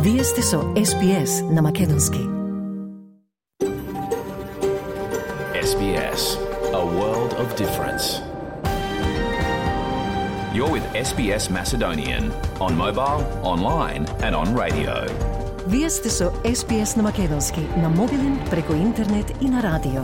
Вие сте со SBS на Македонски. SBS, a world of difference. You're with SBS Macedonian on mobile, online and on radio. Вие сте со SBS на Македонски на мобилен, преку интернет и на радио.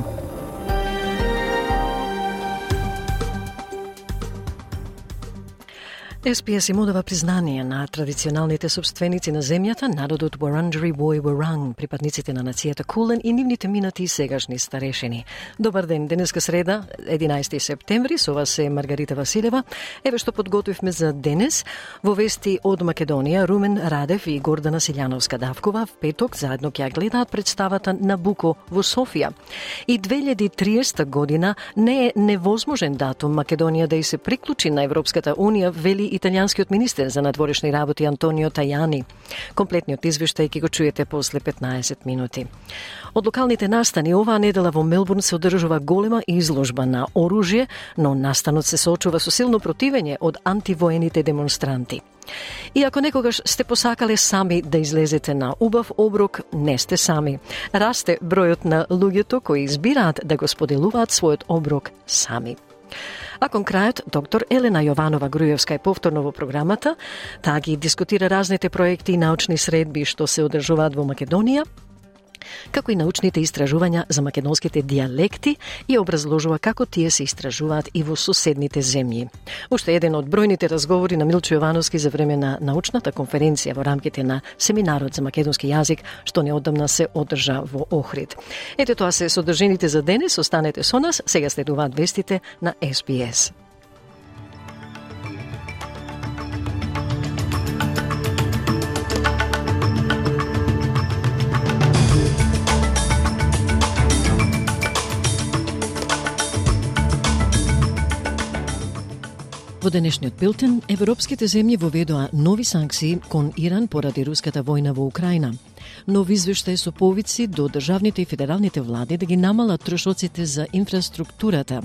SBS им одава признание на традиционалните собственици на земјата, народот Wurundjeri Woi Wurrung, припадниците на нацијата Кулен и нивните минати и сегашни старешини. Добар ден, денеска среда, 11 септември, со вас е Маргарита Василева. Еве што подготвивме за денес. Во вести од Македонија, Румен Радев и Гордана Силјановска-Давкова в петок заедно ќе гледаат представата Набуко во Софија. И 2030 година не е невозможен датум Македонија да и се приклучи на Европската Унија, вели италијанскиот министер за надворешни работи Антонио Тајани. Комплетниот извештај ќе го чуете после 15 минути. Од локалните настани оваа недела во Мелбурн се одржува голема изложба на оружје, но настанот се соочува со силно противење од антивоените демонстранти. И ако некогаш сте посакале сами да излезете на убав оброк, не сте сами. Расте бројот на луѓето кои избираат да го споделуваат својот оброк сами. А кон крајот, доктор Елена Јованова-Груевска е повторно во програмата. Таа ги дискутира разните проекти и научни средби што се одржуваат во Македонија, како и научните истражувања за македонските дијалекти и образложува како тие се истражуваат и во соседните земји. Уште еден од бројните разговори на Милчо Јовановски за време на научната конференција во рамките на семинарот за македонски јазик, што неодамна се одржа во Охрид. Ете тоа се содржините за денес, останете со нас, сега следуваат вестите на SBS. Во денешниот билтен, европските земји воведоа нови санкции кон Иран поради руската војна во Украина. Нов извештај со повици до државните и федералните влади да ги намалат трошоците за инфраструктурата.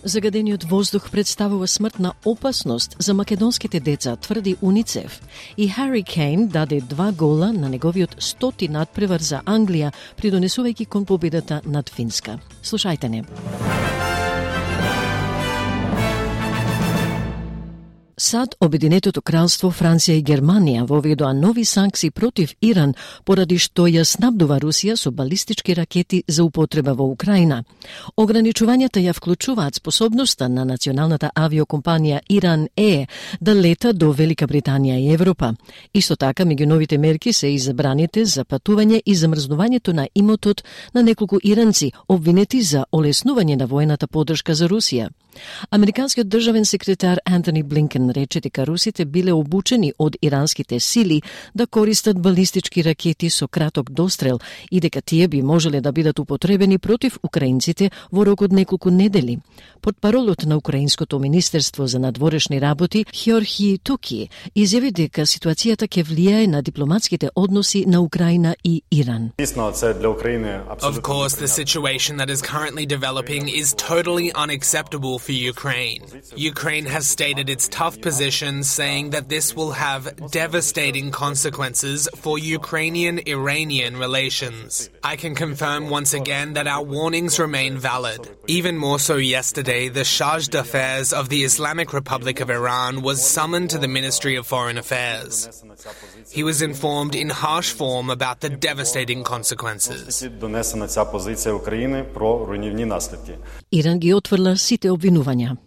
Загадениот воздух представува смртна опасност за македонските деца, тврди УНИЦЕФ. И Хари Кейн даде 2 гола на неговиот 100-ти надпревар за Англија, придонесувајќи кон победата над Финска. Слушајте не. САД, Обединетото кралство, Франција и Германија воведоа нови санкции против Иран поради што ја снабдува Русија со балистички ракети за употреба во Украина. Ограничувањата ја вклучуваат способноста на националната авиокомпанија Иран да лета до Велика Британија и Европа. Исто така, меѓу новите мерки се и забраните за патување и замрзнувањето на имотот на неколку иранци обвинети за олеснување на воената поддршка за Русија. Американскиот државен секретар Антони Блинкен рече дека русите биле обучени од иранските сили да користат балистички ракети со краток дострел и дека тие би можеле да бидат употребени против украинците во рок од неколку недели. Портпаролот на Украинското министерство за надворешни работи Георги Туки изјави дека ситуацијата ќе влијае на дипломатските односи на Украина и Иран. Of course, the situation that is currently developing is totally unacceptable for Ukraine. Ukraine has stated its tough position, saying that this will have devastating consequences for Ukrainian-Iranian relations. I can confirm once again that our warnings remain valid. Even more so yesterday, the Charge d'Affaires of the Islamic Republic of Iran was summoned to the Ministry of Foreign Affairs. He was informed in harsh form about the devastating consequences. Иран ги отврла сите обвинувања.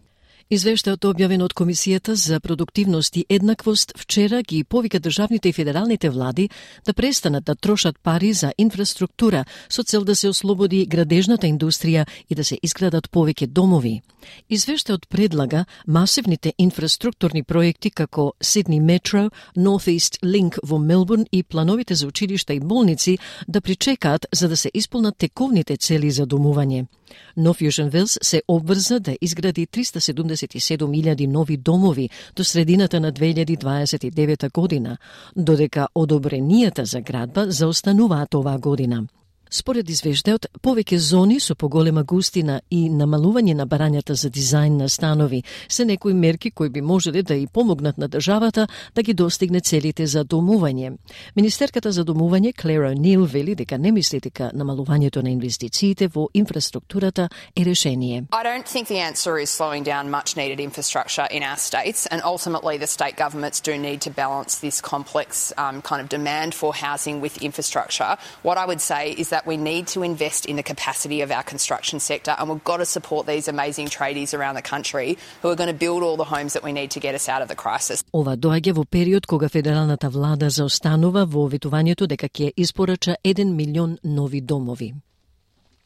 Извештајот објавен од Комисијата за продуктивност и еднаквост вчера ги повика државните и федералните влади да престанат да трошат пари за инфраструктура со цел да се ослободи градежната индустрија и да се изградат повеќе домови. Извештајот предлага масивните инфраструктурни проекти како Сидни Метро, North East Link во Мелбурн и плановите за училишта и болници да причекаат за да се исполнат тековните цели за домување. Но Fusion Wells се обврза да изгради 377.000 нови домови до средината на 2029 година, додека одобренијата за градба заостануваат оваа година. Според извештајот, повеќе зони со поголема густина и намалување на барањата за дизајн на станови се некои мерки кои би можеле да и помогнат на државата да ги достигне целите за домување. Министерката за домување Клера Нил вели дека не мисли дека намалувањето на инвестициите во инфраструктурата е решение. I don't think the answer is slowing down much needed infrastructure in our states, and ultimately the state governments do need to balance this complex kind of demand for housing with infrastructure. What I would say is that we need to invest in the capacity of our construction sector, and we've got to support these amazing tradies around the country who are going to build all the homes that we need to get us out of the crisis. Ова доаѓа во период кога федералната влада заостанува во ветувањето дека ќе испорача 1 милион нови домови.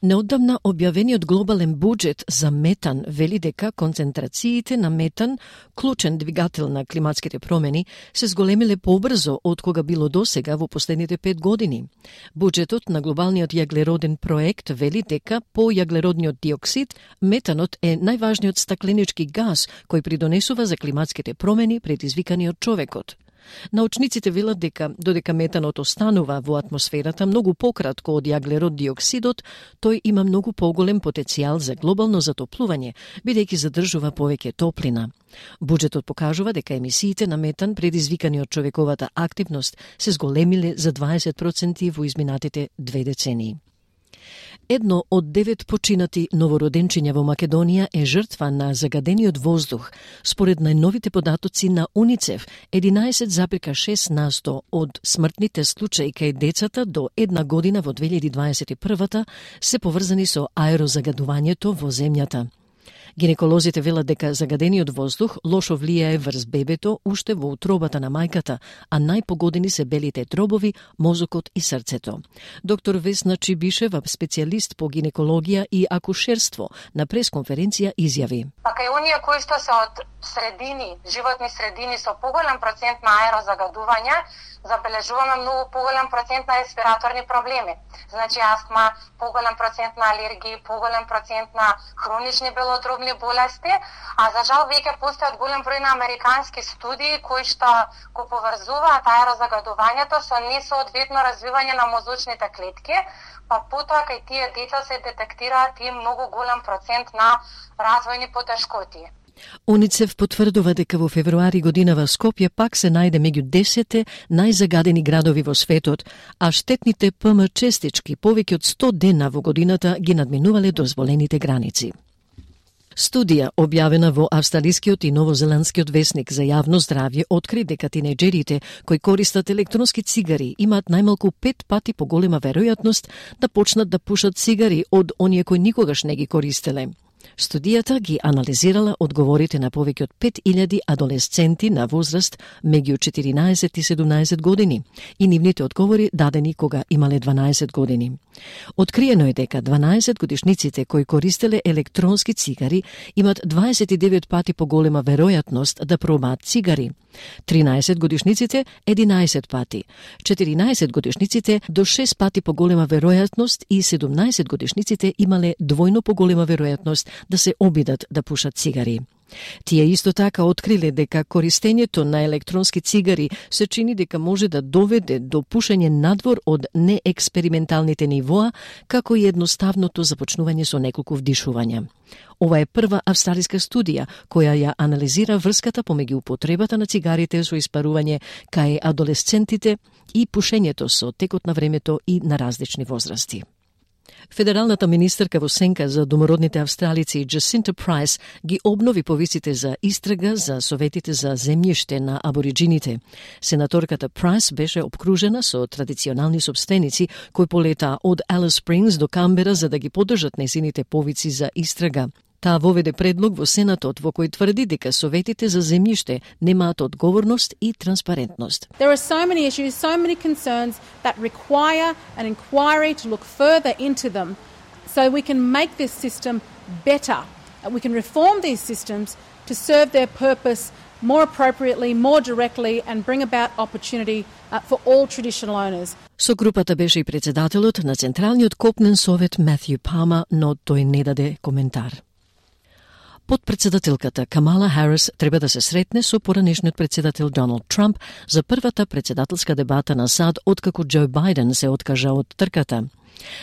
Неодамна објавениот глобален буџет за метан вели дека концентрациите на метан, клучен двигател на климатските промени, се зголемиле побрзо од кога било досега во последните 5 години. Буџетот на глобалниот јаглероден проект вели дека по јаглеродниот диоксид, метанот е најважниот стакленички газ кој придонесува за климатските промени предизвикани од човекот. Научниците велат дека додека метанот останува во атмосферата многу пократко од јаглерод диоксидот, тој има многу поголем потенцијал за глобално затоплување, бидејќи задржува повеќе топлина. Буџетот покажува дека емисиите на метан предизвикани од човековата активност се зголемиле за 20% во изминатите 2 децении. Едно од 9 починати новороденчиња во Македонија е жртва на загадениот воздух. Според најновите податоци на УНИЦЕФ, 11,6% од смртните случаи кај децата до 1 година во 2021 се поврзани со аерозагадувањето во земјата. Гинеколозите велат дека загадениот воздух лошо влијае врз бебето уште во утробата на мајката, а најпогодени се белите дробови, мозокот и срцето. Доктор Весна Чибишева, специјалист по гинекологија и акушерство, на пресконференција изјави: Па кај оние кои што се од средини, животни средини со поголем процент на аерозагадување, забележуваме многу поголем процент на респираторни проблеми. Значи астма, поголем процент на алергии, поголем процент на хронични белодробни болести, а за жал веќе постојат голем број на американски студии кои што го поврзуваат аерозагадувањето со несоодветно развивање на мозочните клетки, па потоа кај тие деца се детектираат и многу голем процент на развојни потешкоти. УНИЦЕФ потврдува дека во февруари годинава Скопје пак се најде меѓу 10 најзагадени градови во светот, а штетните ПМ честички повеќе од 100 дена во годината ги надминувале дозволените граници. Студија, објавена во австралискиот и новозеландскиот весник за јавно здравје, откри дека тинеџерите кои користат електронски цигари имаат најмалку 5 пати поголема веројатност да почнат да пушат цигари од оние кои никогаш не ги користеле. Студијата ги анализирала одговорите на повеќе од 5000 адолесценти на возраст меѓу 14 и 17 години и нивните одговори дадени кога имале 12 години. Откриено е дека 12 годишниците кои користеле електронски цигари имат 29 пати поголема веројатност да пробаат цигари, 13 годишниците 11 пати, 14 годишниците до 6 пати поголема веројатност и 17 годишниците имале двојно поголема веројатност да се обидат да пушат цигари. Тие исто така откриле дека користењето на електронски цигари се чини дека може да доведе до пушење надвор од неексперименталните нивоа, како и едноставното започнување со неколку вдишувања. Ова е прва австралиска студија која ја анализира врската помеѓу употребата на цигарите со испарување кај адолесцентите и пушењето со текот на времето и на различни возрасти. Федералната министерка во сенка за домородните австралици Джасинта Прайс ги обнови повиците за истрага за советите за земјиште на абориджините. Сенаторката Прайс беше обкружена со традиционални сопственици кои полетаа од Алис Спрингс до Камбера за да ги поддржат нејзините повици за истрага. Таа воведе предлог во Сенатот во кој тврди дека советите за земјиште немаат одговорност и транспарентност. There are so many issues, so many concerns that require an inquiry to look further into them so we can make this system better. We can reform these systems to serve their purpose more appropriately, more directly and bring about opportunity for all traditional owners. Со групата беше и председателот на Централниот копнен совет Матју Пама, но тој не даде коментар. Подпредседателката Камала Харис треба да се сретне со поранешниот председател Доналд Трамп за првата председателска дебата на САД откако Џо Бајден се откажа од трката.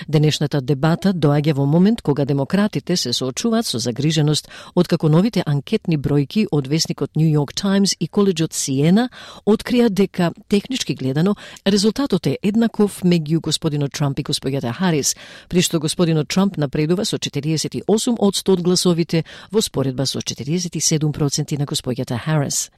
Денешната дебата доаѓа во момент кога демократите се соочуваат со загриженост откако новите анкетни бројки од весникот New York Times и коледжот Сиена открија дека технички гледано резултатот е еднаков меѓу господинот Трамп и господјата Харис, при што господинот Трамп напредува со 48% од гласовите во споредба со 47% на господјата Харис.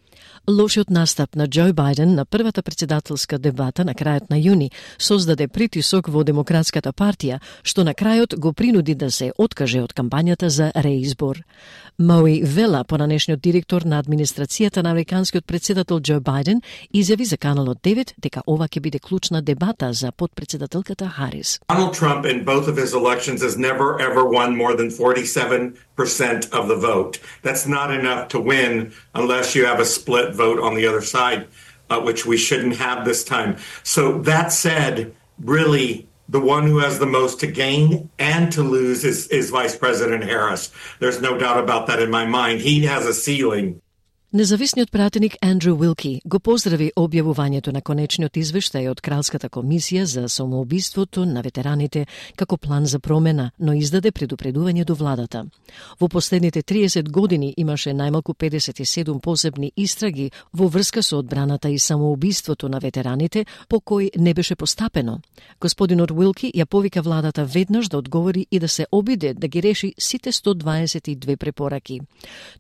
Лошиот настап на Џо Бајден на првата председателска дебата на крајот на јуни создаде притисок во Демократската партија, што на крајот го принуди да се откаже од кампањата за реизбор. Мои Вела, поранешниот директор на администрацијата на американскиот председател Џо Бајден, изјави за Каналот 9 дека ова ќе биде клучна дебата за подпредседателката Харис. Donald Trump in both of his elections has never ever won more than 47% of the vote. That's not enough to win unless you have a split vote on the other side, which we shouldn't have this time. So that said, really, the one who has the most to gain and to lose is Vice President Harris. There's no doubt about that in my mind. He has a ceiling. Независниот пратеник Андрю Уилки го поздрави објавувањето на конечниот извештај од Кралската комисија за самоубиството на ветераните како план за промена, но издаде предупредување до владата. Во последните 30 години имаше најмалку 57 посебни истраги во врска со одбраната и самоубиството на ветераните, по кој не беше постапено. Господинот Уилки ја повика владата веднаш да одговори и да се обиде да ги реши сите 122 препораки.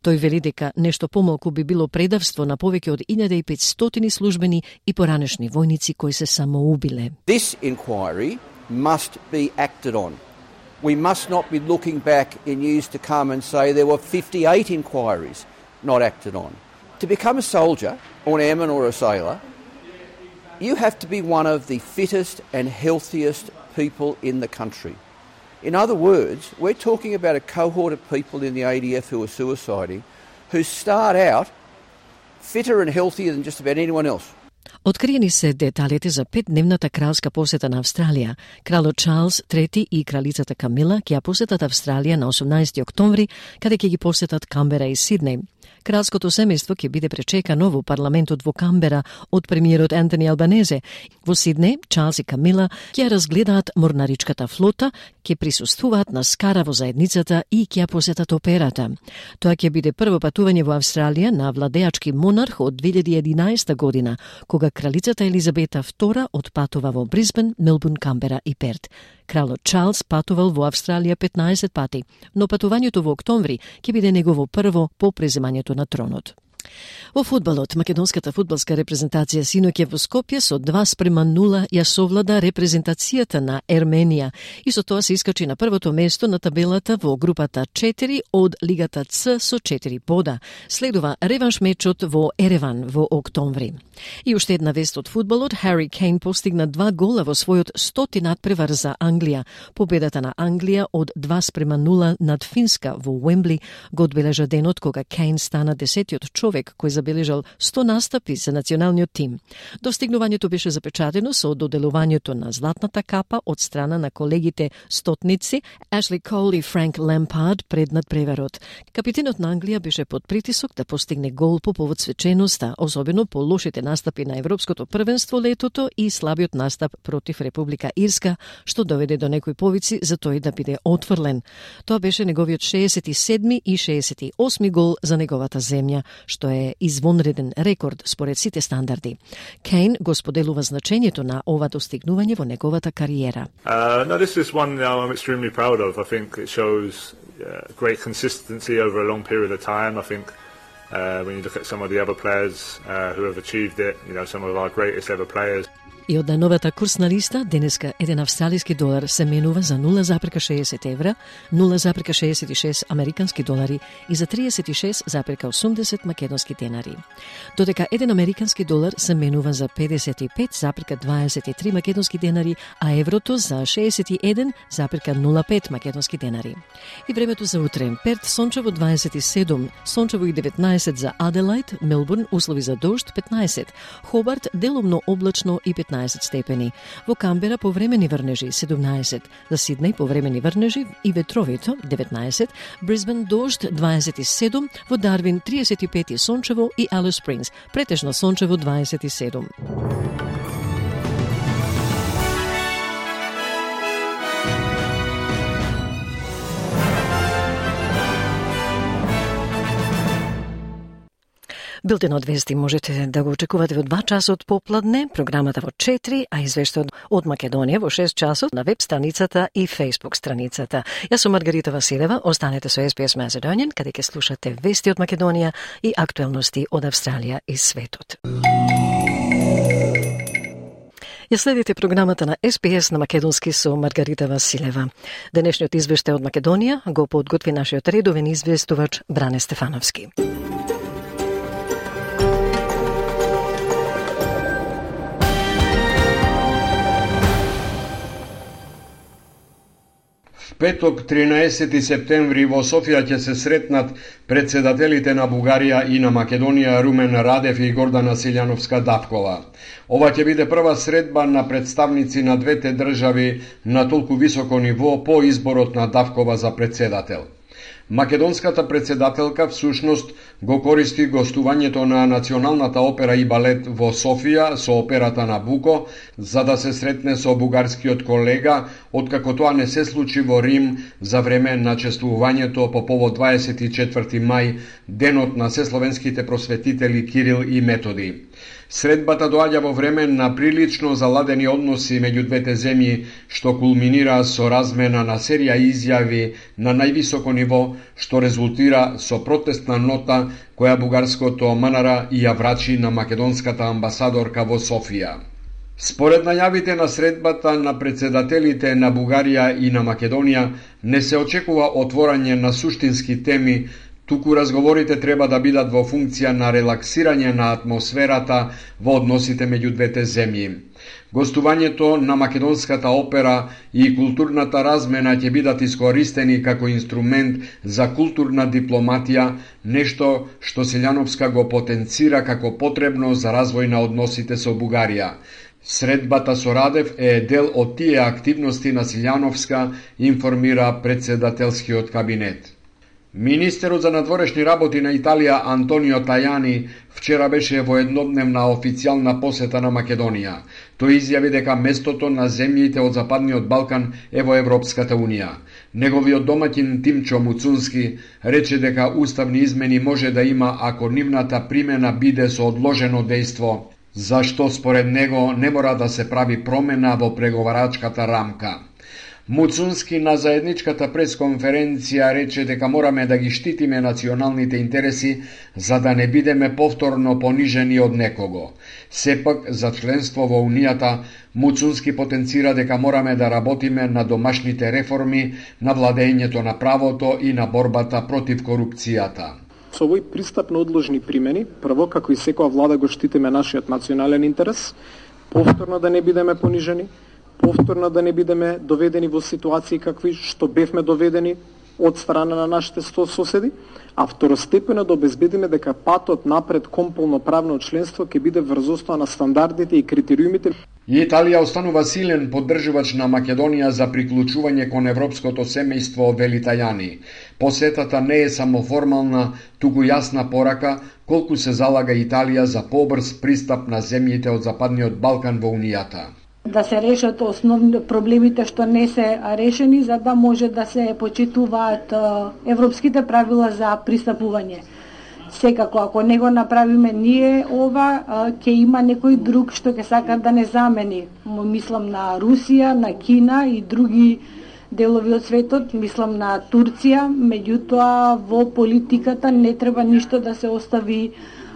Тој вели дека нешто помалку би било предавство на повеќе од 1500 службени и поранешни војници кои се самоубиле. This inquiry must be acted on. We must not be looking back in years to come and say there were 58 inquiries not acted on. To become a soldier, or an airman or a sailor, you have to be one of the fittest and healthiest people in the country. In other words, we're talking about a cohort of people in the ADF who are suiciding, who start out fitter and healthier than just about anyone else. Откриени се деталите за 5-дневната кралска посета на Австралија. Кралот Чарлс III и кралицата Камила ќе ја посетат Австралија на 18 октомври, каде ќе ги посетат Камбера и Сиднеј. Кралското семејство ќе биде пречекано во парламентот во Камбера од премиерот Ентони Албанезе. Во Сиднеј, Чарлс и Камила ќе разгледаат морнаричката флота, ќе присуствуваат на скара во заедницата и ќе ја посетат операта. Тоа ќе биде прво патување во Австралија на владеачки монарх од 2011 година, кога кралицата Елизабета II отпатува во Брисбен, Мелбурн, Камбера и Перт. Кралот Чарлс патувал во Австралија 15 пати, но патувањето во октомври ќе биде негово прво по преземањето на тронот. Во фудбалот, македонската фудбалска репрезентација синоќа во Скопје со 2:0 ја совлада репрезентацијата на Ерменија и со тоа се искачи на првото место на табелата во групата 4 од Лигата Ц со 4 бода. Следува реванш мечот во Ереван во октомври. И уште една вест од фудбалот, Хари Кейн постигна 2 гола во својот 100-ти надпревар за Англија. Победата на Англија од 2:0 над Финска во Уембли го одбележа денот кога Кейн стана 10-тиот човек кој забележал 100 настапи за националниот тим. Достигнувањето беше запечатено со доделувањето на златната капа од страна на колегите стотници Ашли Кол и Франк Лемпард пред надпреварот. Капитенот на Англија беше под притисок да постигне гол по повод свеченоста, особено по лошите настапи на Европското првенство летото и слабиот настап против Република Ирска, што доведе до некои повици за тој да биде отфрлен. Тоа беше неговиот 67 и 68 гол за неговата земја, што е извонреден рекорд според сите стандарди. Кейн го споделува значењето на ова достигнување во неговата кариера. No, this is one I'm extremely proud of. I think it shows great consistency over a long period of time. I think when you look at some of the other players who have achieved it, some of our greatest ever players. И од најновата курсна листа, денеска еден австралиски долар се менува за 0,60 евра, 0,66 американски долари и за 36,80 македонски денари. Додека еден американски долар се менува за 55,23 македонски денари, а еврото за 61,05 македонски денари. И времето за утре: Перт сончево 27, сончево и 19 за Аделајд, Мелбурн услови за дожд 15, Хобарт делумно облачно и 15 степени. Во Камбера повремени врнежи 17, за Сиднеј повремени врнежи и ветровито 19, Брисбен дожд 27, во Дарвин 35 и сончево и Алис Спрингс претежно сончево 27. Билтенот вести можете да го очекувате во 2 часот попладне, програмата во 4, а извештајот од Македонија во 6 часот на веб страницата и Facebook страницата. Јас сум Маргарита Василева, останете со SBS Macedonian, каде ќе слушате вести од Македонија и актуелности од Австралија и светот. Ја следите програмата на SBS на македонски со Маргарита Василева. Денешниот извештај од Македонија го подготви нашиот редовен известувач Бране Стефановски. Петок, 13 септември, во Софија ќе се сретнат председателите на Бугарија и на Македонија Румен Радев и Гордана Силјановска-Давкова. Ова ќе биде прва средба на представници на двете држави на толку високо ниво по изборот на Давкова за председател. Македонската председателка всушност го користи гостувањето на Националната опера и балет во Софија со операта Набуко за да се сретне со бугарскиот колега, откако тоа не се случи во Рим за време на чествувањето по повод 24 мај, денот на сесловенските просветители Кирил и Методи. Средбата доаѓа во време на прилично заладени односи меѓу двете земји, што кулминира со размена на серија изјави на највисоко ниво, што резултира со протестна нота која бугарското МНР ја врачи на македонската амбасадорка во Софија. Според најавите на средбата на председателите на Бугарија и на Македонија, не се очекува отворање на суштински теми, туку разговорите треба да бидат во функција на релаксирање на атмосферата во односите меѓу двете земји. Гостувањето на Македонската опера и културната размена ќе бидат искористени како инструмент за културна дипломатија, нешто што Силјановска го потенцира како потребно за развој на односите со Бугарија. Средбата со Радев е дел од тие активности на Силјановска, информира председателскиот кабинет. Министерот за надворешни работи на Италија Антонио Тајани вчера беше во еднодневна официјална посета на Македонија. Тој изјави дека местото на земјите од Западниот Балкан е во Европската Унија. Неговиот домаќин Тимчо Муцунски рече дека уставни измени може да има ако нивната примена биде со одложено дејство, зашто според него не мора да се прави промена во преговарачката рамка. Муцунски на заедничката пресконференција рече дека мораме да ги штитиме националните интереси за да не бидеме повторно понижени од некого. Сепак, за членство во Унијата, Муцунски потенцира дека мораме да работиме на домашните реформи, на владењето на правото и на борбата против корупцијата. Со овој пристап на одложни примени, прво, како и секоја влада, го штитиме нашиот национален интерес, повторно да не бидеме понижени, повторно да не бидеме доведени во ситуации какви што бевме доведени од страна на нашите соседи, а второстепено да обезбедиме дека патот напред кон полноправно членство ќе биде врз основа на стандардите и критериумите. Италија останува силен поддржувач на Македонија за приклучување кон европското семејство, вели Тајани. Посетата не е само формална, туку јасна порака колку се залага Италија за побрз пристап на земјите од Западниот Балкан во Унијата. Да се решат основни проблемите што не се решени, за да може да се почитуваат европските правила за пристапување. Секако, ако не го направиме ние ова, ќе има некој друг што ќе сака да не замени. Мислам на Русија, на Кина и други делови од светот, мислам на Турција, меѓутоа во политиката не треба ништо да се остави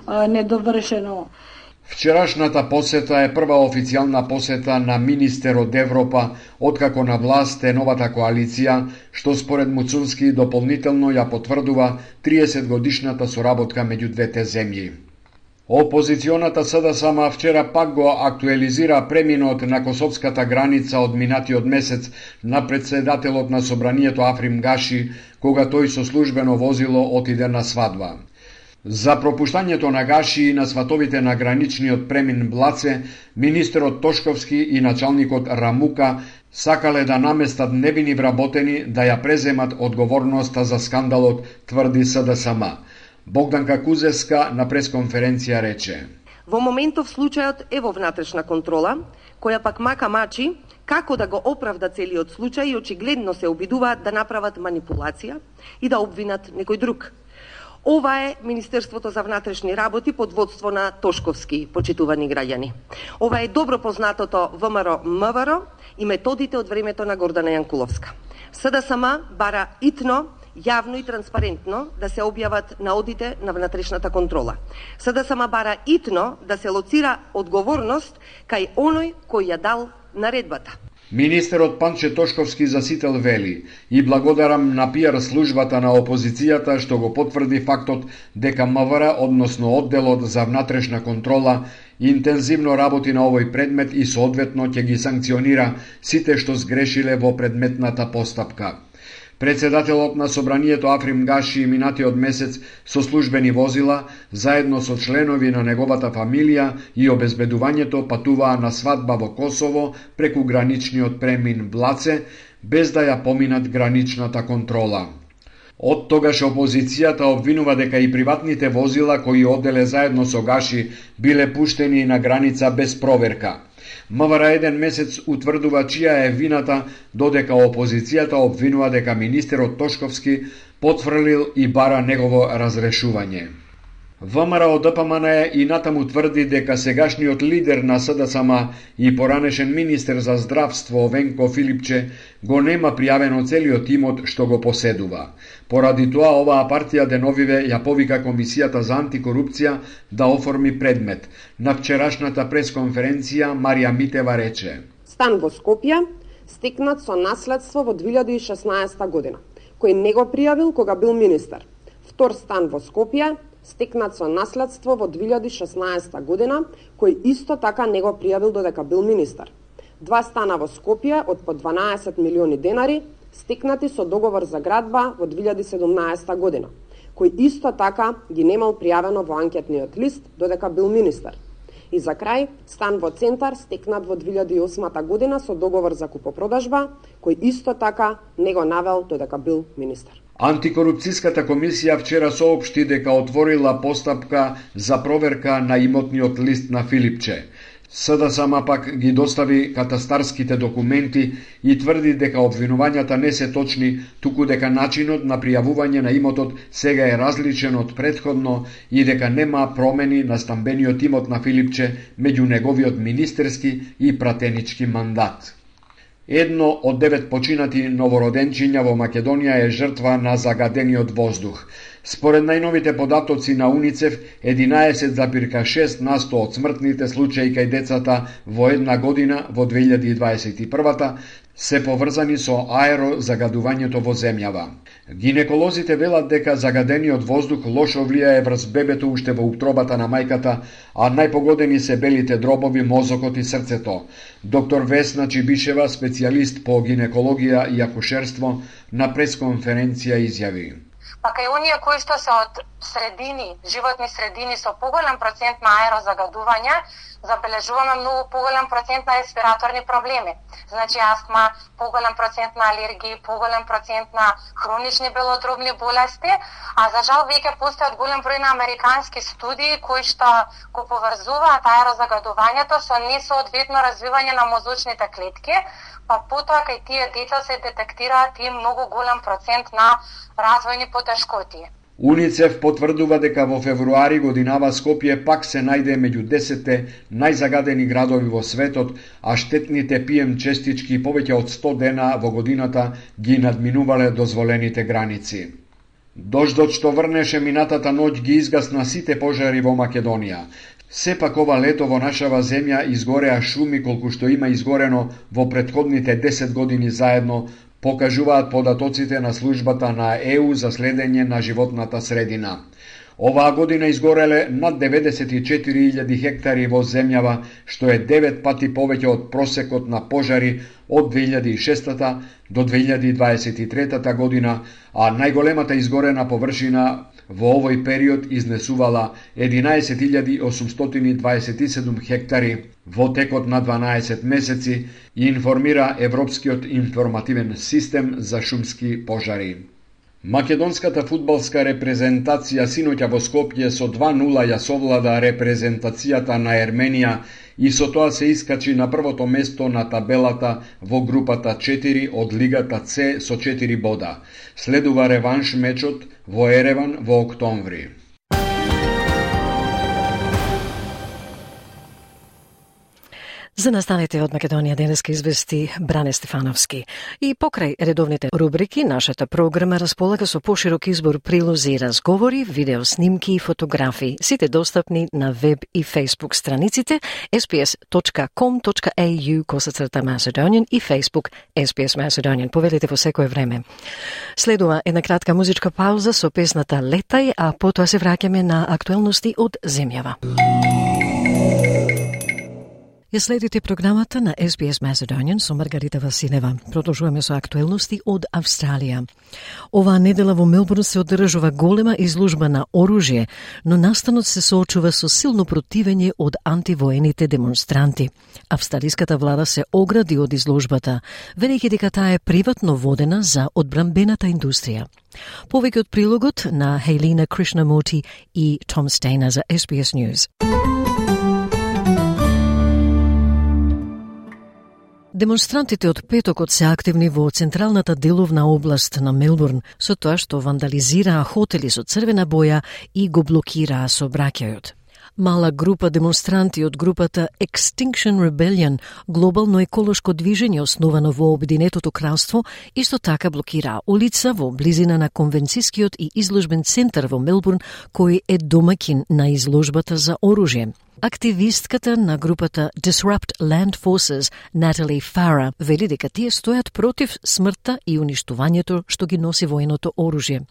недовршено. Вчерашната посета е прва официјална посета на министер од Европа, откако на власт е новата коалиција, што според Муцунски дополнително ја потврдува 30 годишната соработка меѓу двете земји. Опозиционата СДСМ вчера пак го актуализира преминот на косовската граница од минатиот месец на председателот на собранието Африм Гаши, кога тој со службено возило отиде на свадба. За пропуштањето на Гаши и на сватовите на граничниот премин Блаце, министерот Тошковски и началникот Рамука сакале да наместат невини вработени да ја преземат одговорноста за скандалот, тврди СДСМ. Богданка Кузеска на пресконференција рече: Во моментов случајот е во внатрешна контрола, која пак мака мачи како да го оправда целиот случај и очигледно се обидуваат да направат манипулација и да обвинат некој друг. Ова е Министерството за внатрешни работи под водство на Тошковски, почитувани граѓани. Ова е добро познатото ВМРО-МВР и методите од времето на Гордана Јанкуловска. СДСМ бара итно, јавно и транспарентно да се објават наодите на внатрешната контрола. СДСМ бара итно да се лоцира одговорност кај оној кој ја дал наредбата. Министерот Панче Тошковски за сител вели: и благодарам на пиар службата на опозицијата што го потврди фактот дека МВР, односно одделот за внатрешна контрола, интензивно работи на овој предмет и соодветно ќе ги санкционира сите што сгрешиле во предметната постапка. Председателот на Собранието Африм Гаши минатиот месец со службени возила, заедно со членови на неговата фамилија и обезбедувањето патуваа на свадба во Косово преку граничниот премин Блаце, без да ја поминат граничната контрола. Од тогаш опозицијата обвинува дека и приватните возила кои оделе заедно со Гаши биле пуштени на граница без проверка. МВР еден месец утврдува чија е вината, додека опозицијата обвинува дека министерот Тошковски потфрлил и бара негово разрешување. ВМРО ДПМН и натаму тврди дека сегашниот лидер на СДСМ и поранешен министер за здравство Венко Филипче го нема пријавено целиот имот што го поседува. Поради тоа оваа партија деновиве ја повика Комисијата за антикорупција да оформи предмет. На вчерашната пресконференција Марија Митева рече: Стан во Скопје стекнат со наследство во 2016 година, кој не го пријавил кога бил министер. Втор стан во Скопје стекнат со наследство во 2016 година, кој исто така не го пријавил додека бил министер. 2 стана во Скопје од по 12 милиони денари, стекнати со договор за градба во 2017 година, кој исто така ги немал пријавено во анкетниот лист додека бил министер. И за крај, стан во Центар стекнат во 2008 година со договор за купопродажба, кој исто така не го навел додека бил министер. Антикорупцијската комисија вчера соопшти дека отворила постапка за проверка на имотниот лист на Филипче. СДСМ пак ги достави катастарските документи и тврди дека обвинувањата не се точни, туку дека начинот на пријавување на имотот сега е различен од претходно и дека нема промени на стамбениот имот на Филипче меѓу неговиот министерски и пратенички мандат. Едно од 9 починати новороденчиња во Македонија е жртва на загадениот воздух. Според најновите податоци на УНИЦЕФ, 11,6% од смртните случаи кај децата во една година во 2021 се поврзани со аерозагадувањето во земјава. Гинеколозите велат дека загадениот воздух лошо влијае врз бебето уште во утробата на мајката, а најпогодени се белите дробови, мозокот и срцето. Доктор Весна Чибишева, специјалист по гинекологија и акушерство, на пресконференција изјави: Па кај оние кои што се од средини, животни средини со поголем процент на аерозагадување, забележуваме многу поголем процент на респираторни проблеми. Значи астма, поголем процент на алергии, поголем процент на хронични белодробни болести, а за жал веќе постојат голем број на американски студии кои што го поврзуваат аерозагадувањето со несоодветно развивање на мозочните клетки, па потоа кај тие деца се детектираат и многу голем процент на развојни потешкоти. УНИЦЕФ потврдува дека во февруари годинава Скопје пак се најде меѓу 10 најзагадени градови во светот, а штетните PM честички повеќе од 100 дена во годината ги надминувале дозволените граници. Дождот што врнеше минатата ноќ ги изгасна сите пожари во Македонија. Сепак ова лето во нашава земја изгореа шуми колку што има изгорено во претходните 10 години заедно, покажуваат податоците на службата на ЕУ за следење на животната средина. Оваа година изгореле над 94.000 хектари во земјава, што е 9 пати повеќе од просекот на пожари од 2006 до 2023 година, а најголемата изгорена површина во овој период изнесувала 11.827 хектари во текот на 12 месеци, информира Европскиот информативен систем за шумски пожари. Македонската фудбалска репрезентација синоќа во Скопје со 2-0 ја совлада репрезентацијата на Ерменија и со тоа се искачи на првото место на табелата во групата 4 од Лигата С со 4 бода. Следува реванш мечот во Ереван во октомври. За настаните од Македонија денеска извести Бране Стефановски. И покрај редовните рубрики, нашата програма располага со поширок избор прилози и разговори, видеоснимки и фотографии. Сите достапни на веб и фейсбук страниците sbs.com.au/Macedonian и Facebook SBS Macedonian. Повелите во секое време. Следува една кратка музичка пауза со песната Летај, а потоа се враќаме на актуелности од земјава. Ја следите програмата на SBS Macedonian со Маргарита Василева. Продолжуваме со актуелности од Австралија. Оваа недела во Мелбурн се одржува голема изложба на оружје, но настанот се соочува со силно противење од антивоените демонстранти. Австралиската влада се огради од изложбата, велејќи дека таа е приватно водена за одбранбената индустрија. Повеќе од прилогот на Хейлина Кришнамурти и Том Стейнер за SBS News. Демонстрантите од петокот се активни во централната деловна област на Мелбурн, со тоа што вандализираа хотели со црвена боја и го блокираа сообраќајот. Мала група демонстранти од групата Extinction Rebellion, глобално еколошко движење основано во Обединетото кралство, исто така блокираа улица во близина на конвенцискиот и изложбен центар во Мелбурн, кој е домаќин на изложбата за оружје. Активистката на групата Disrupt Land Forces, Natalie Farah, вели дека тие стојат против смртта и уништувањето што ги носи военото оружје.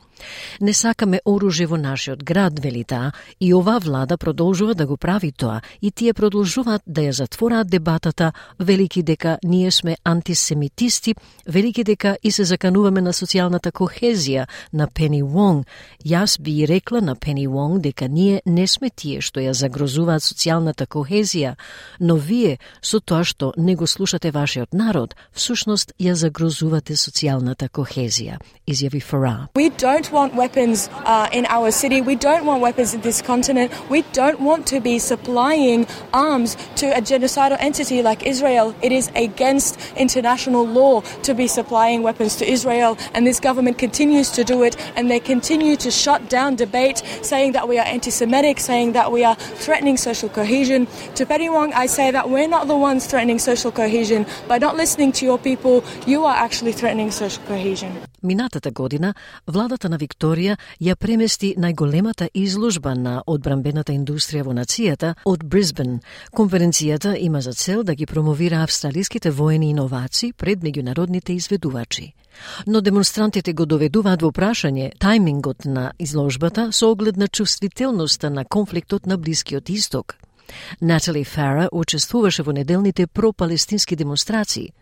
Не сакаме оружје во нашиот град, вели таа, и оваа влада продолжува да го прави тоа, и тие продолжуваат да ја затвораат дебатата, велики дека ние сме антисемитисти, велики дека и се закануваме на социјалната кохезија на Пени Вонг. Јас би рекла на Пени Вонг дека ние не сме тие што ја загрозуваат социјалната кохезија, но вие, со тоа што не го слушате вашиот народ, всушност ја загрозувате социјалната кохезија, изјави Farah. We don't want weapons in our city. We don't want weapons in this continent. We don't want to be supplying arms to a genocidal entity like Israel. It is against international law to be supplying weapons to Israel, and this government continues to do it, and they continue to shut down debate, saying that we are anti-Semitic, saying that we are threatening social cohesion. To Peni Wong, I say that we're not the ones threatening social cohesion. By not listening to your people, you are actually threatening social cohesion. Минатата година, владата на Викторија ја премести најголемата изложба на одбранбената индустрија во нацијата од Брисбен. Конференцијата има за цел да ги промовира австралиските воени иновации пред меѓународните изведувачи. Но демонстрантите го доведуваат во прашање тајмингот на изложбата со оглед на чувствителноста на конфликтот на Блискиот Исток. Натали Фара учествуваше во неделните пропалестински демонстрации.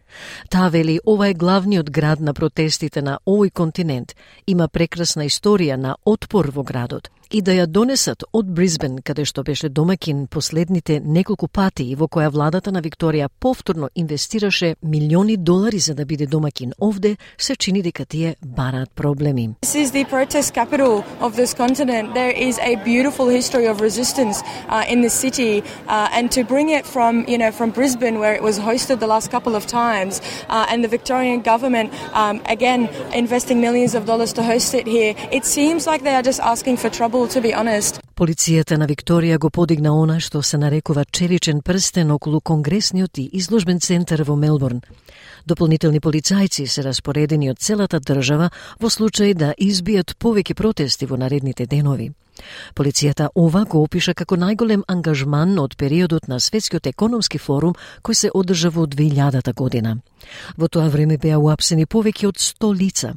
Таа вели ова е главниот град на протестите на овој континент, има прекрасна историја на отпор во градот и да ја донесат од Брисбен, каде што беше домаќин последните неколку пати и во која владата на Викторија повторно инвестираше милиони долари за да биде домаќин овде, се чини дека тие бараат проблеми. This is the protest capital of this continent. There is a beautiful history of resistance in the city, and to bring it from Brisbane, where it was hosted the last couple of times, and the Victorian government again investing millions of dollars to host it here, it seems like they are just asking for trouble, to be honest. Полицијата на Викторија го подигна она што се нарекува челичен прстен околу Конгресниот и изложбен центар во Мелбурн. Дополнителни полицајци се распоредени од целата држава во случај да избијат повеќе протести во наредните денови. Полицијата ова го опиша како најголем ангажман од периодот на Светскиот економски форум кој се одржа во 2000 година. Во тоа време беа уапсени повеќе од 100 лица.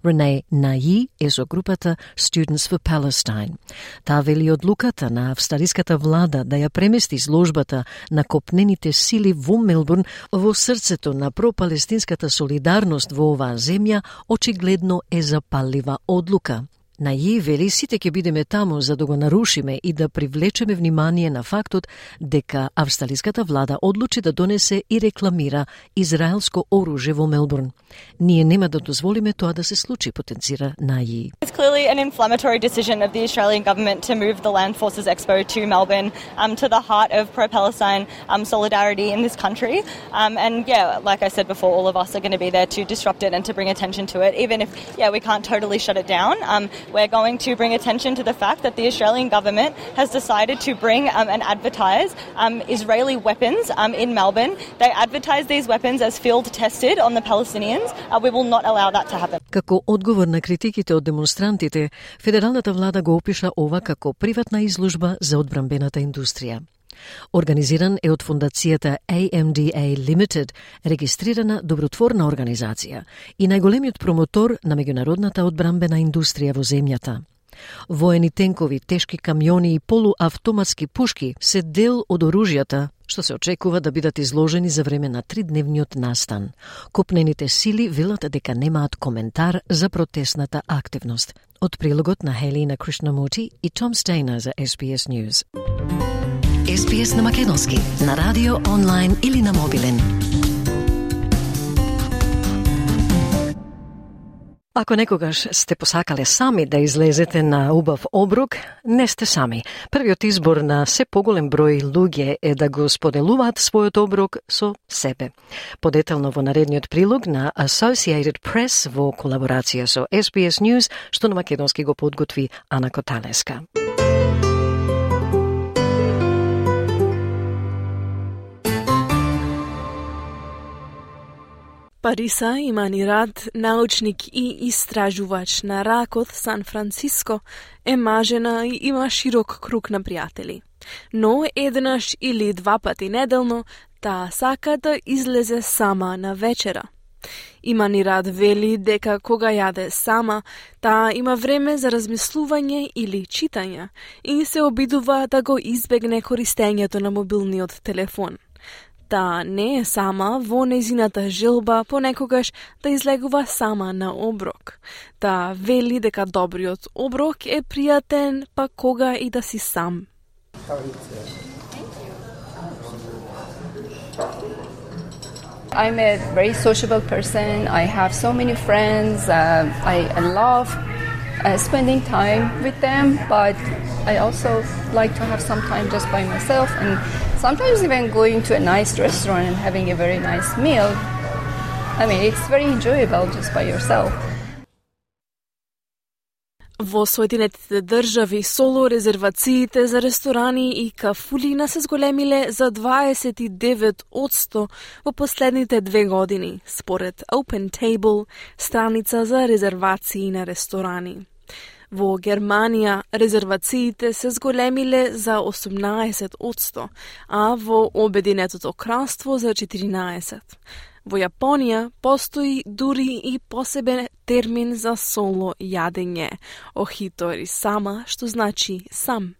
Renee Nayi е со групата Students for Palestine. Таа вели одлуката на австралиската влада да ја премести изложбата на копнените сили во Мелбурн во срцето на пропалестинската солидарност во оваа земја очигледно е запаллива одлука. Наји вели сите ќе бидеме таму за да го нарушиме и да привлечеме внимание на фактот дека австралиската влада одлучи да донесе и рекламира израелско оружје во Мелбурн. Ние нема да дозволиме тоа да се случи, потенцира Наји. It's clearly an inflammatory decision of the Australian government to move the Land Forces Expo to Melbourne, to the heart of pro-Palestine solidarity in this country. And yeah, like I said before, all of us are going to be there to disrupt it and to bring attention to it. Even if, we can't totally shut it down, we're going to bring attention to the fact that the Australian government has decided to bring and advertise Israeli weapons in Melbourne. They advertise these weapons as field tested on the Palestinians. We will not allow that to happen. Како одговор на критиките од демонстрантите, федералната влада го опиша ова како приватна изложба за одбранбената индустрија. Организиран е од фондацијата AMDA Limited, регистрирана добротворна организација и најголемиот промотор на меѓународната одбранбена индустрија во земјата. Воени тенкови, тешки камиони и полуавтоматски пушки се дел од оружјата што се очекува да бидат изложени за време на 3-дневниот настан. Копнените сили велат дека немаат коментар за протестната активност. Од прилогот на Хелина Кришнамурти и Том Стейнер за SBS News. SBS на македонски, на радио, онлайн или на мобилен. Ако некогаш сте посакале сами да излезете на убав оброк, не сте сами. Првиот избор на се поголем број луѓе е да го споделуваат својот оброк со себе. Подетално во наредниот прилог на Associated Press во колаборација со SBS News, што на македонски го подготви Ана Коталеска. Париса Иманирад, научник и истражувач на ракот Сан Франциско, е мажена и има широк круг на пријатели. Но еднаш или 2 пати неделно таа сака да излезе сама на вечера. Иманирад вели дека кога јаде сама, таа има време за размислување или читање и се обидува да го избегне користењето на мобилниот телефон. Таа не е сама во нејзината желба понекогаш да излегува сама на оброк. Таа вели дека добриот оброк е пријатен па кога и да си сам. I'm a very sociable person. I have so many friends. I love spending time with them, but I also like to have some time just by myself, and sometimes even going to a nice restaurant and having a very nice meal. I mean, it's very enjoyable just by yourself. Во Соединетите држави соло резервациите за ресторани и кафулина се зголемиле за 29% во последните 2 години, според OpenTable, страница за резервации на ресторани. Во Германија резервациите се зголемиле за 18%, а во Обединетото кралство за 14%. Во Јапонија постои дури и посебен термин за соло јадење, охитори сама, што значи сам.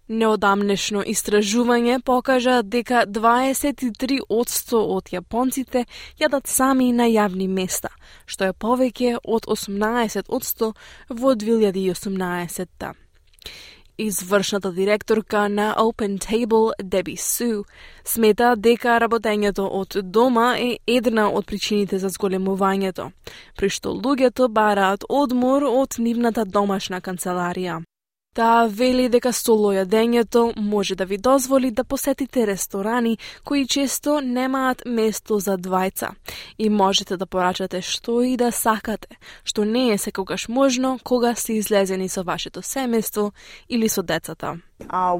Неодамнешно истражување покажа дека 23% од јапонците јадат сами на јавни места, што е повеќе од 18% во 2018. Извршната директорка на OpenTable, Debbie Sue, смета дека работењето од дома е една од причините за зголемувањето, при што луѓето бараат одмор од нивната домашна канцеларија. Таа вели дека соло јадењето може да ви дозволи да посетите ресторани кои често немаат место за двајца и можете да порачате што и да сакате, што не е секогаш можно кога сте излезени со вашето семејство или со децата.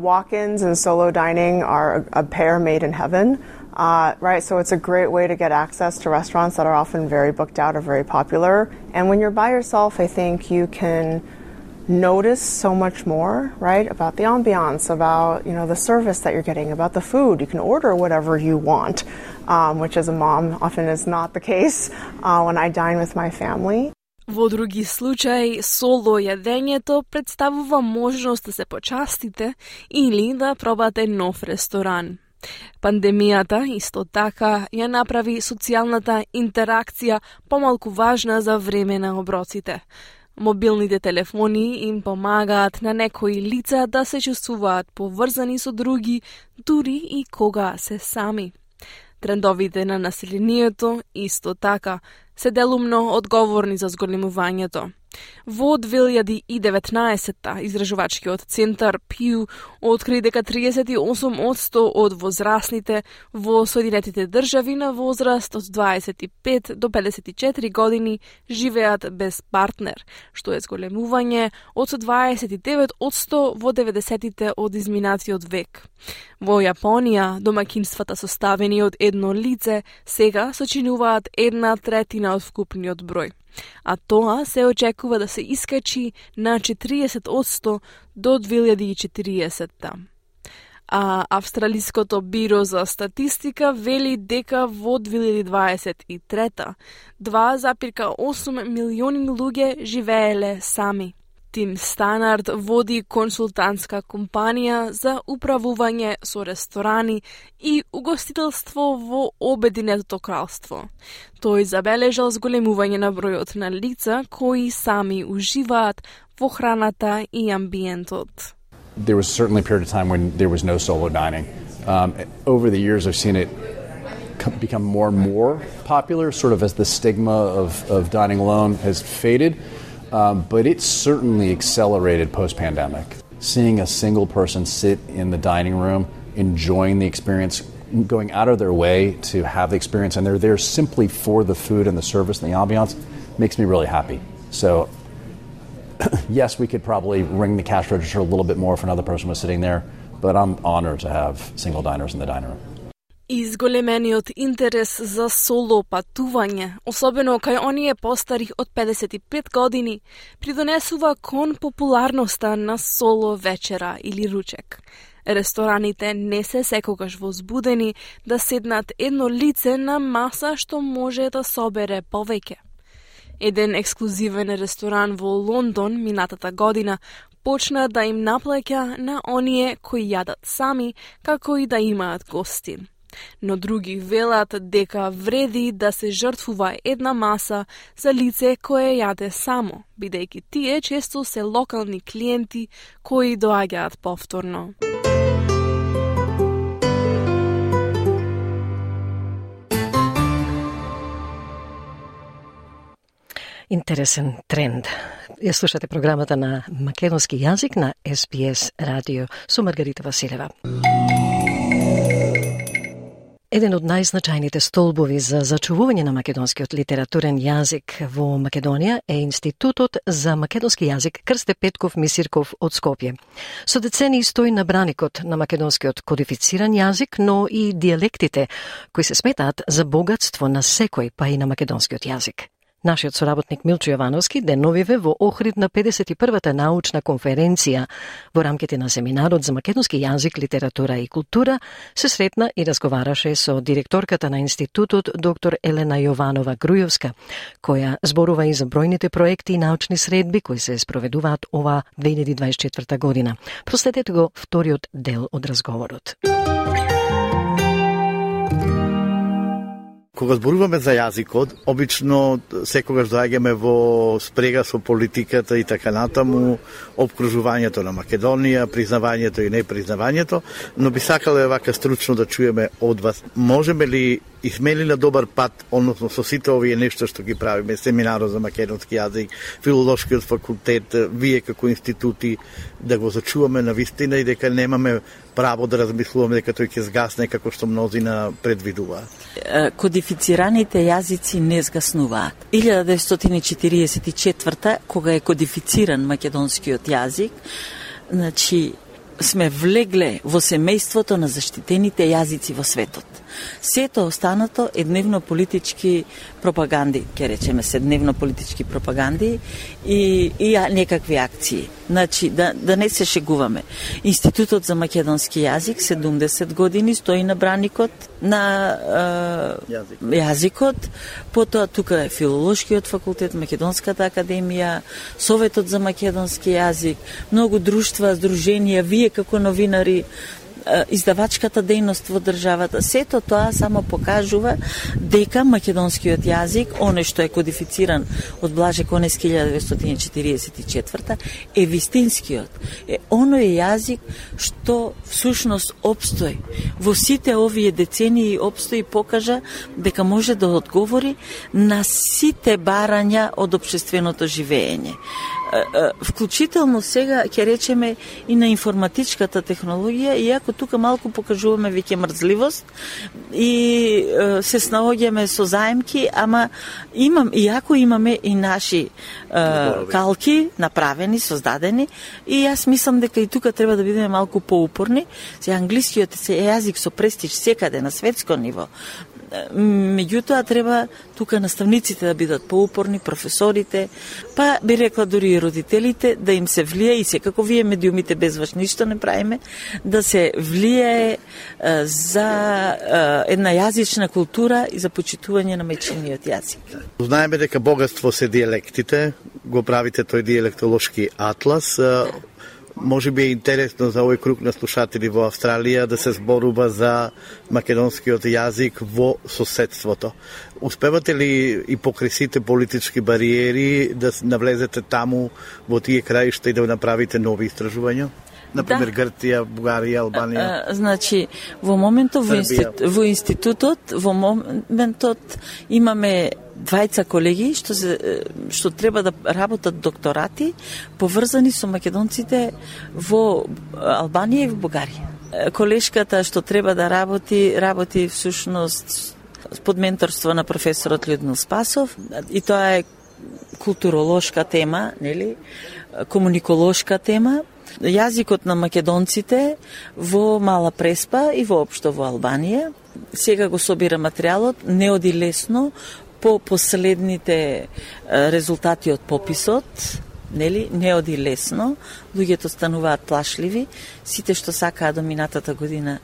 Walk-ins and solo dining are a pair made in heaven. Right, so it's a great way to get access to restaurants that are often very booked out or very popular. And when you're by yourself, I think you can notice so much more, right, about the ambiance, about, the service that you're getting, about the food. You can order whatever you want, which as a mom often is not the case when I dine with my family. Во други случаи, соло јадењето представува можност да се почастите или да пробате нов ресторан. Пандемијата исто така ја направи социјалната интеракција помалку важна за време на оброците. Мобилните телефони им помагаат на некои лица да се чувствуваат поврзани со други, дури и кога се сами. Трендовите на населението исто така се делумно одговорни за зголемувањето. Во 2019 изражувачкиот центар Pew откри дека 38% од возрастните во Соединетите држави на возраст од 25 до 54 години живеат без партнер, што е зголемување од 29% во 90-тите од изминатиот век. Во Јапонија, домаќинствата составени од едно лице сега сочинуваат 1/3 од вкупниот број, а тоа се очекува да се искачи на 40% до 2040. А Австралиското биро за статистика вели дека во 2023 2,8 милиони луѓе живееле сами. Тим Станард води консултантска компанија за управување со ресторани и угостителство во Обединетото кралство. Тој забележал зголемување на бројот на лица кои сами уживаат во храната и амбиентот. There was certainly a period of time when there was no solo dining. Over the years I've seen it become more and more popular, sort of as the stigma of dining alone has faded. But it certainly accelerated post-pandemic. Seeing a single person sit in the dining room, enjoying the experience, going out of their way to have the experience, and they're there simply for the food and the service and the ambiance, makes me really happy. So, yes, we could probably ring the cash register a little bit more if another person was sitting there, but I'm honored to have single diners in the dining room. Изголемениот интерес за соло патување, особено кај оние постари од 55 години, придонесува кон популарноста на соло вечера или ручек. Рестораните не се секогаш возбудени да седнат едно лице на маса што може да собере повеќе. Еден ексклузивен ресторан во Лондон минатата година почна да им наплаќа на оние кои јадат сами, како и да имаат гости. Но други велат дека вреди да се жртвува една маса за лице кое јаде само, бидејќи тие често се локални клиенти кои доаѓаат повторно. Интересен тренд. Ја слушате програмата на македонски јазик на SPS радио со Маргарита Василева. Еден од најзначајните столбови за зачувување на македонскиот литературен јазик во Македонија е Институтот за македонски јазик Крсте Петков Мисирков од Скопје. Со децени стои на браникот на македонскиот кодифициран јазик, но и диалектите кои се сметаат за богатство на секој, па и на македонскиот јазик. Нашиот соработник Милчо Јовановски деновиве во Охрид на 51-та научна конференција во рамките на семинарот за македонски јазик, литература и култура се сретна и разговараше со директорката на институтот доктор Елена Јованова Грујовска, која зборува и за бројните проекти и научни средби кои се спроведуваат ова 2024 година. Проследете го вториот дел од разговорот. Кога зборуваме за јазикот, обично секогаш доаѓаме во спрега со политиката и така натаму, обкружувањето на Македонија, признавањето и непризнавањето, но би сакале вака стручно да чуеме од вас. Можеме ли и сме ли на добар пат, односно со сите овие нешто што ги правиме, семинарот за македонски јазик, филолошкиот факултет, вие како институти, да го зачуваме на вистина и дека немаме право да размислуваме дека тој ќе згасне како што мнозина предвидуваат? Кодифицираните јазици не згаснуваат. 1944 кога е кодифициран македонскиот јазик, значи сме влегле во семејството на заштитените јазици во светот. Сето останато е дневно политички пропаганди, ќе речеме се дневно политички пропаганди и некакви акции. Значи, да не се шегуваме. Институтот за македонски јазик 70 години стои на браникот на јазикот, потоа тука е филолошкиот факултет, Македонската академија, Советот за македонски јазик, многу друштва, здруженија, вие како новинари, издавачката дејност во државата. Сето тоа само покажува дека македонскиот јазик, оној што е кодифициран од Блаже Конески 1944, е вистинскиот. Е оној јазик што всушност обстои. Во сите овие децении обстои и покажа дека може да одговори на сите барања од општественото живење. Вклучително сега ќе речеме и на информатичката технологија, иако тука малку покажуваме веќе мрзливост и се снаоѓаме со заемки, ама иако имаме и наши калки направени, создадени, и јас мислам дека и тука треба да бидеме малку поупорни. Се англискиот јазик со престиж секаде на светско ниво. Меѓутоа треба тука наставниците да бидат поупорни, професорите, па би рекла дури и родителите, да им се влие, и секако вие медиумите без вас ништо не правиме, да се влие за една јазична култура и за почитување на мајчиниот јазик. Знаеме дека богатство се диелектите, го правите тој диелектолошки атлас. Може би е интересно за овој круг на слушатели во Австралија да се зборува за македонскиот јазик во соседството. Успевате ли и покрај сите политички бариери да навлезете таму во тие краишта и да направите нови истражувања? Например, да. Грција, Бугарија, Албанија. Значи, во моментот во институтот, во моментот имаме двајца колеги што треба да работат докторати поврзани со македонците во Албанија и во Бугарија. Колешката што треба да работи всушност под менторство на професорот Людмил Спасов, и тоа е културолошка тема, нели? Комуниколошка тема. Јазикот на македонците во Мала Преспа и воопшто во Албанија. Сега го собира материјалот, не оди лесно по последните резултати од пописот, нели, не оди лесно, луѓето стануваат плашливи, сите што сакаат до минатата година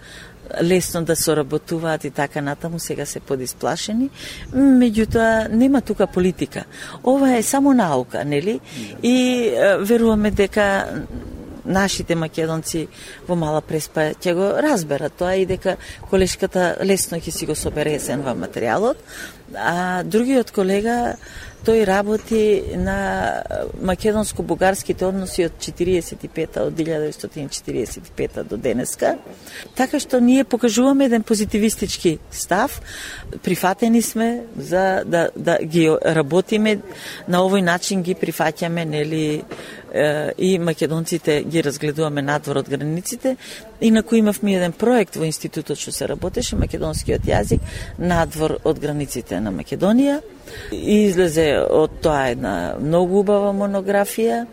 лесно да соработуваат и така натаму, сега се подисплашени. Меѓутоа, нема тука политика. Ова е само наука, нели? И веруваме дека нашите македонци во Мала Преспа ќе го разберат тоа и дека колешката лесно ќе си го собере есенва материјалот. А другиот колега, тој работи на македонско-бугарските односи од 1945 до денеска. Така што ние покажуваме еден позитивистички став. Прифатени сме за да ги работиме на овој начин, ги прифаќаме, нели, и македонците ги разгледуваме надвор од границите. Инаку имавме еден проект во институтот што се работеше, македонскиот јазик надвор од границите на Македонија. И излезе од тоа една многу убава монографија.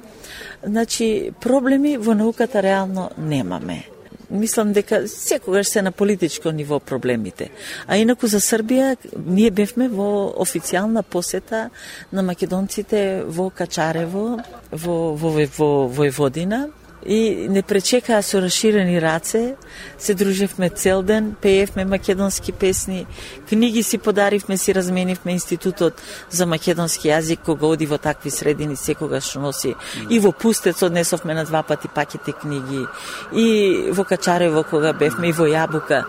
Значи, проблеми во науката реално немаме. Мислам дека секогаш се на политичко ниво проблемите. А инаку за Србија, ние бевме во официјална посета на македонците во Качарево, во Војводина, и не пречекаа со расширени раце, се дружевме цел ден, пеевме македонски песни, книги си подаривме, си разменивме институтот за македонски јазик, кога оди во такви средини секогаш носи. И во Пустец однесовме на 2 пати пакети книги, и во Качарево кога бевме, и во Јабука.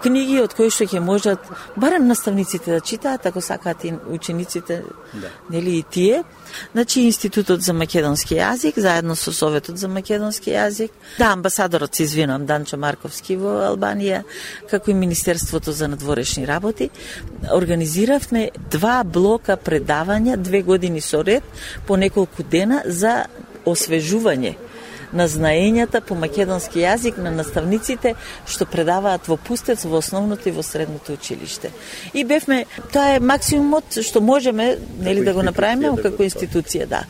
Книги од кои што ќе можат барем наставниците да читаат, ако сакаат и учениците, нели и тие. Значи, Институтот за македонски јазик, заедно со Советот за македонски јазик, амбасадорот, се извинувам, Данчо Марковски во Албанија, како и Министерството за надворешни работи, организиравме 2 блока предавања, 2 години со ред, по неколку дена за освежување на знаењата по македонски јазик на наставниците што предаваат во Пустец, во основното и во средното училиште. И бевме, тоа е максимумот што можеме, нели, да го направиме како институција, да.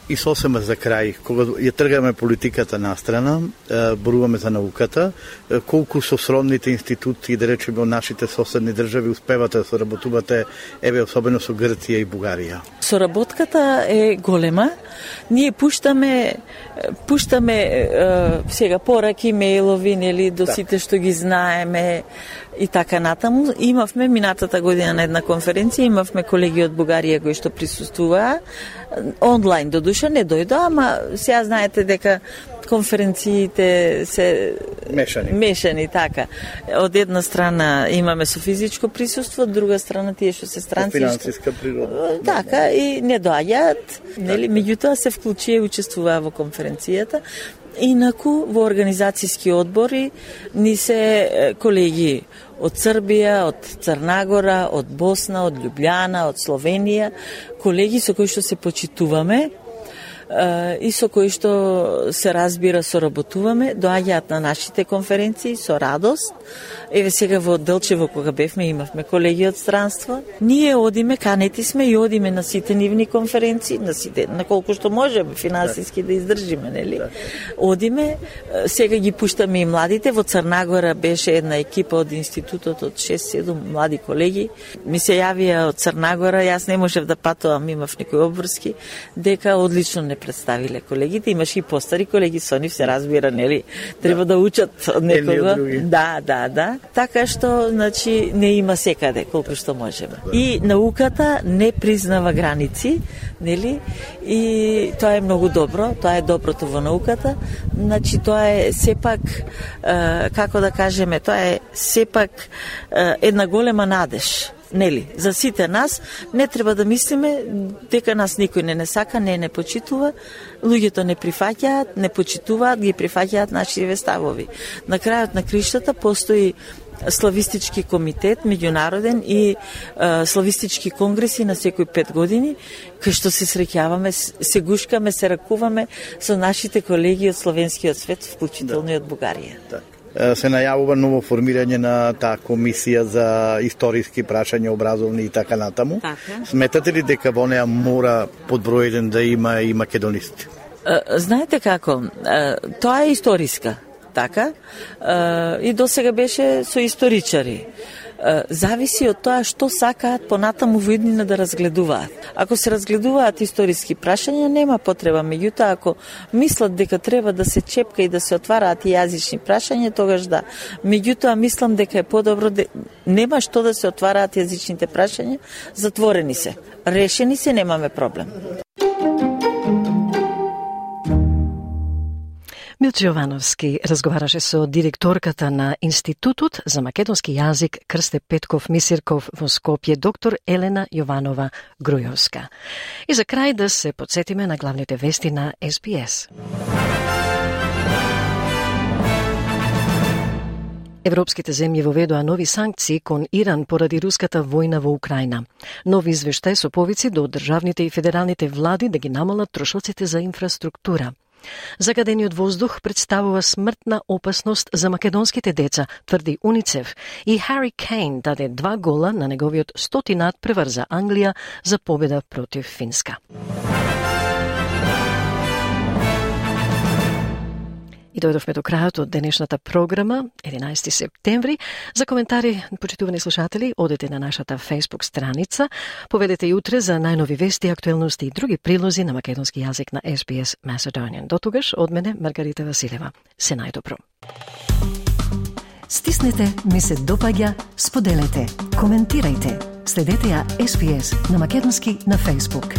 И сосема за крај, кога ја тргаме политиката настрана, боруваме за науката, колку со сродните институции, да речеме од нашите соседни држави, успевате да соработувате, еве особено со Грција и Бугарија? Соработката е голема. Ние пуштаме сега пораки, мејлови, нели, до сите што ги знаеме и така натаму. Имавме минатата година на една конференција, имавме колеги од Бугарија кои што присуствуваа онлайн, до душа не дојдоа, ама сега знаете дека конференциите се мешани, така. Од една страна имаме со физичко присуство, од друга страна тие што се странци. Финансиска природа. Така, и не доаѓаат, нели, меѓутоа се вклучи и учествуваа во конференцијата. Инаку во организацијски одбори ни се колеги од Србија, од Црнагора, од Босна, од Љубљана, од Словенија, колеги со кои што се почитуваме и со кои што се разбира соработуваме, доаѓаат на нашите конференции со радост. Еве сега во Делчево кога бевме имавме колеги од странство. Ние одиме, канети сме и одиме на сите нивни конференции, на сите, на колку што можеме финансиски да издржиме, нели? Одиме, сега ги пуштаме и младите. Во Црнагора беше една екипа од институтот од 6-7 млади колеги. Ми се јавија од Црнагора, јас не можев да патувам, имав некои обврски, дека одлично не представиле колегите. Имаше и постари колеги, со нив се разбира, нели? Треба да учат од некого. Да. Така што, значи, не има секаде, колку што можеме. И науката не признава граници, нели? И тоа е многу добро, тоа е доброто во науката. Значи, тоа е сепак, како да кажеме, тоа е сепак една голема надеж. Нели, за сите нас не треба да мислиме дека нас никој не сака, не почитува, луѓето не прифаќаат, не почитуваат, ги прифаќаат нашите ставови. На крајот на криштата постои славистички комитет меѓународен и славистички конгреси на секои 5 години, кај што се среќаваме, се гушкаме, се ракуваме со нашите колеги од словенскиот свет, вклучително и од Бугарија. Се најавува ново формирање на таа комисија за историски прашања, образовни и така натаму. Сметате ли дека во неа мора под број 1 да има и македонисти? Знаете како, тоа е историска, така, и досега беше со историчари. Зависи од тоа што сакаат понатаму во иднина да разгледуваат. Ако се разгледуваат историски прашања, нема потреба. Меѓутоа, ако мислат дека треба да се чепка и да се отвараат и јазични прашања, тогаш да. Меѓутоа, мислам дека е подобро, нема што да се отвараат јазичните прашања, затворени се. Решени се, немаме проблем. Милчо Јовановски разговараше со директорката на Институтот за македонски јазик Крсте Петков Мисирков во Скопје, доктор Елена Јованова Грујовска. И за крај да се подсетиме на главните вести на SBS. Европските земји воведоа нови санкции кон Иран поради руската војна во Украина. Нови извештај со повици до државните и федералните влади да ги намалат трошоците за инфраструктура. Загадениот воздух представува смртна опасност за македонските деца, тврди УНИЦЕФ, и Хари Кейн даде 2 гола на неговиот 100-тинат превар за Англија за победа против Финска. И дојдовме до крајот од денешната програма, 11 септември. За коментари, почитувани слушатели, одете на нашата Facebook страница. Поведете и утре за најнови вести, актуелности и други прилози на македонски јазик на SBS Macedonian. До тогаш, од мене, Маргарита Василева. Се најдобро. Стиснете, ми се допаѓа, споделете, коментирајте. Следете ја SBS на македонски на Facebook.